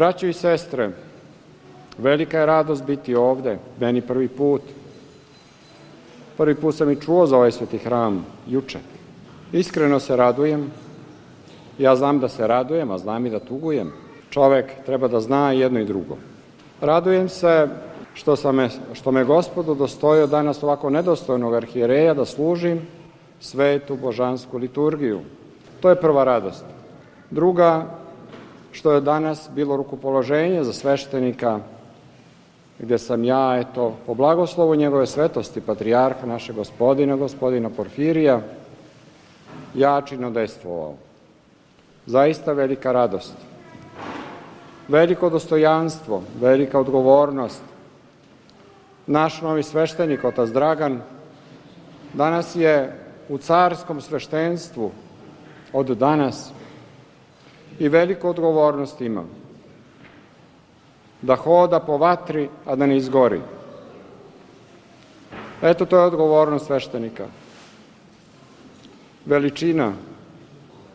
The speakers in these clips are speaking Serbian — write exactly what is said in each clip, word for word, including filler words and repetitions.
Braćo i sestre, velika je radost biti ovde, meni prvi put. Prvi put sam i čuo za ovaj sveti hram, juče. Iskreno se radujem. Ja znam da se radujem, a znam i da tugujem. Čovek treba da zna jedno i drugo. Radujem se što, sam me, što me Gospod udostojio danas ovako nedostojnog arhijereja da služim svetu božansku liturgiju. To je prva radost. Druga, što je danas bilo rukopoloženje za sveštenika, gde sam ja, eto, po blagoslovu njegove svetosti, patrijarha našeg gospodina, gospodina Porfirija, jačino dejstvovao. Zaista velika radost. Veliko dostojanstvo, velika odgovornost. Naš novi sveštenik, otac Dragan, danas je u carskom sveštenstvu od danas i veliku odgovornost ima. Da hoda po vatri, a da ne izgori. Eto, to je odgovornost sveštenika. Veličina.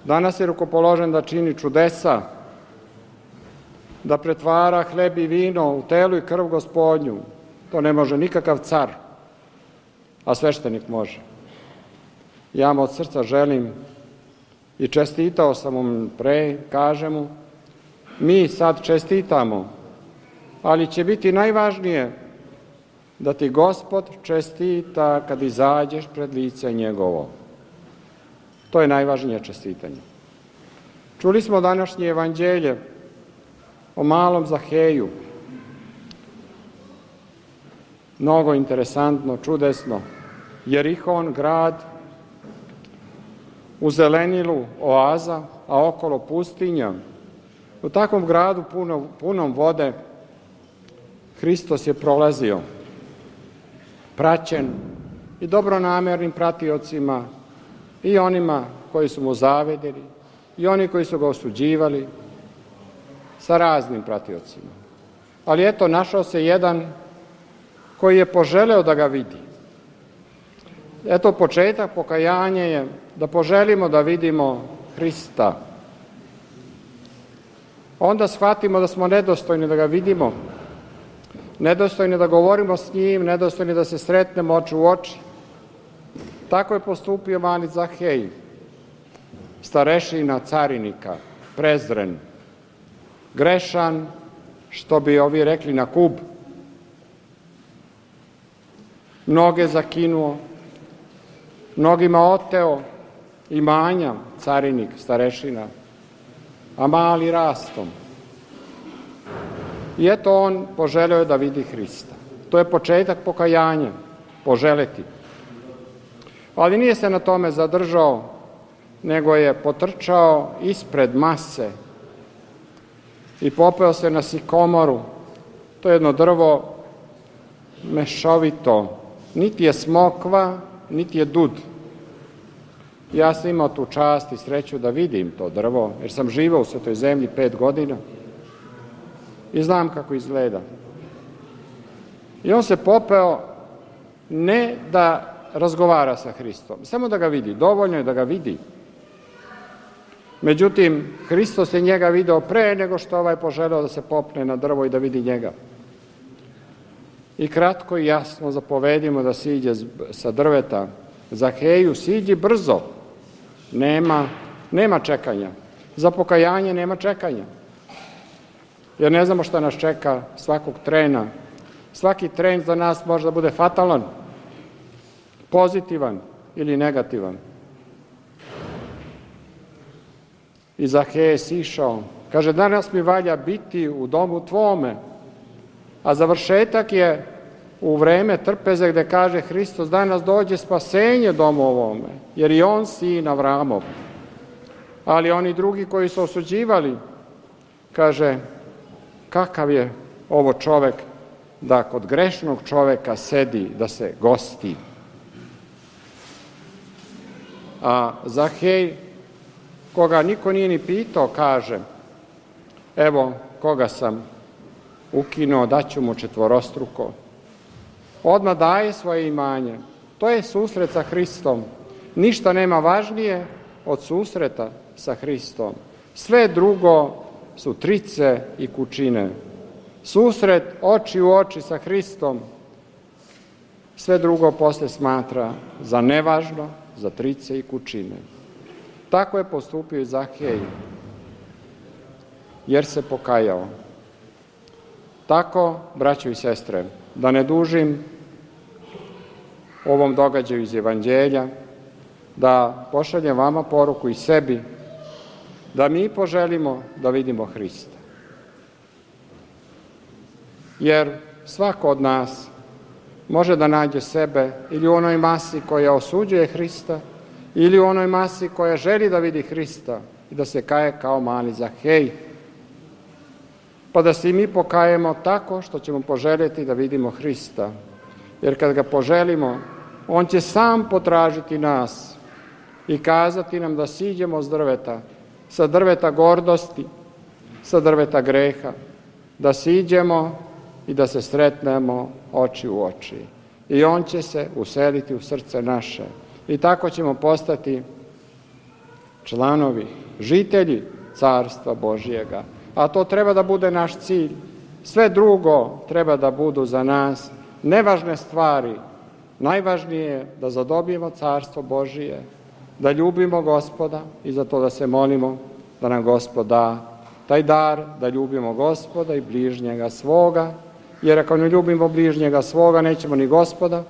Danas je rukopoložen da čini čudesa, da pretvara hleb i vino u telo i krv Gospodnju. To ne može nikakav car, a sveštenik može. Ja mu od srca želim i čestitao sam mu pre, kažem mu, mi sad čestitamo, ali će biti najvažnije da ti Gospod čestita kad izađeš pred lice njegovo. To je najvažnije čestitanje. Čuli smo današnje evanđelje o malom Zaheju. Mnogo interesantno, čudesno. Jerihon, grad, u zelenilu oaza, a okolo pustinja. U takvom gradu puno, punom vode Hristos je prolazio, praćen i dobronamernim pratiocima, i onima koji su mu zavedeli, i oni koji su ga osuđivali, sa raznim pratiocima. Ali eto, našao se jedan koji je poželeo da ga vidi. Eto, početak pokajanja je da poželimo da vidimo Hrista. Onda shvatimo da smo nedostojni da ga vidimo, nedostojni da govorimo s njim, nedostojni da se sretnemo oči u oči. Tako je postupio mali Zahej, starešina carinika, prezren, grešan, što bi ovi rekli na kub. Mnoge zakinuo, mnogima oteo imanja, carinik, starešina, a mali rastom. I eto, on poželeo da vidi Hrista. To je početak pokajanja, poželeti. Ali nije se na tome zadržao, nego je potrčao ispred mase i popeo se na sikomoru. To je jedno drvo mešovito, niti je smokva, niti je dud. Ja sam imao tu čast i sreću da vidim to drvo, jer sam živao u Svetoj zemlji pet godina i znam kako izgleda. I on se popeo ne da razgovara sa Hristom, samo da ga vidi, dovoljno je da ga vidi. Međutim, Hristos je njega video pre nego što ovaj poželeo da se popne na drvo i da vidi njega. I kratko i jasno zapovedimo da siđe sa drveta. Zaheju, siđi brzo. Nema, nema čekanja. Za pokajanje nema čekanja. Jer ne znamo šta nas čeka svakog trena. Svaki tren za nas može da bude fatalan, pozitivan ili negativan. I Zahej je sišao. Kaže, danas mi valja biti u domu tvome. A završetak je u vreme trpeze gde kaže Hristos, danas dođe spasenje domu ovome, jer i on sin Avramov. Ali oni drugi koji su osuđivali, kaže, kakav je ovo čovek da kod grešnog čoveka sedi, da se gosti. A Zahej, koga niko nije ni pitao, kaže, evo koga sam ukinuo, daću mu četvorostruko. Odmah daje svoje imanje. To je susret sa Hristom. Ništa nema važnije od susreta sa Hristom. Sve drugo su trice i kućine. Susret oči u oči sa Hristom, sve drugo posle smatra za nevažno, za trice i kućine. Tako je postupio i Zahej, jer se pokajao. Tako, braćo i sestre, da ne dužim ovom događaju iz Evanđelja, da pošaljem vama poruku i sebi, da mi poželimo da vidimo Hrista. Jer svako od nas može da nađe sebe ili u onoj masi koja osuđuje Hrista, ili u onoj masi koja želi da vidi Hrista i da se kaje kao mali Zahej. Pa da se i mi pokajemo tako što ćemo poželjeti da vidimo Hrista. Jer kad ga poželimo, on će sam potražiti nas i kazati nam da siđemo s drveta, sa drveta gordosti, sa drveta greha, da siđemo i da se sretnemo oči u oči. I on će se useliti u srce naše. I tako ćemo postati članovi, žitelji Carstva Božjega. A to treba da bude naš cilj. Sve drugo treba da budu za nas nevažne stvari. Najvažnije je da zadobijemo Carstvo Božije, da ljubimo Gospoda i za to da se molimo da nam Gospod da taj dar, da ljubimo Gospoda i bližnjega svoga, jer ako ne ljubimo bližnjega svoga, nećemo ni Gospoda,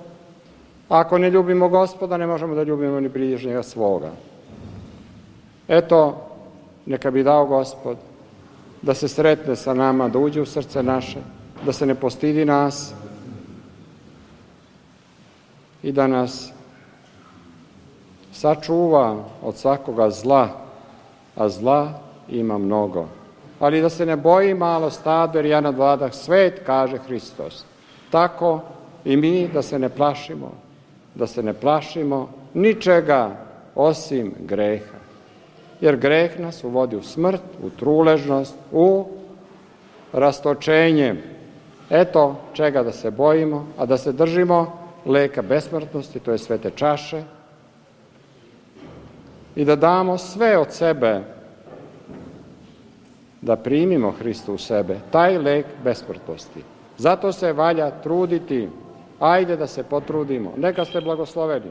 a ako ne ljubimo Gospoda, ne možemo da ljubimo ni bližnjega svoga. Eto, neka bi dao Gospod da se sretne sa nama, da uđe u srce naše, da se ne postidi nas i da nas sačuva od svakoga zla, a zla ima mnogo. Ali da se ne boji malo stado, jer ja nadvladah svet, kaže Hristos. Tako i mi da se ne plašimo, da se ne plašimo ničega osim greha. Jer greh nas uvodi u smrt, u truležnost, u rastočenje. Eto čega da se bojimo, a da se držimo leka besmrtnosti, to je svete čaše, i da damo sve od sebe, da primimo Hristu u sebe, taj lek besmrtnosti. Zato se valja truditi, ajde da se potrudimo. Neka ste blagosloveni.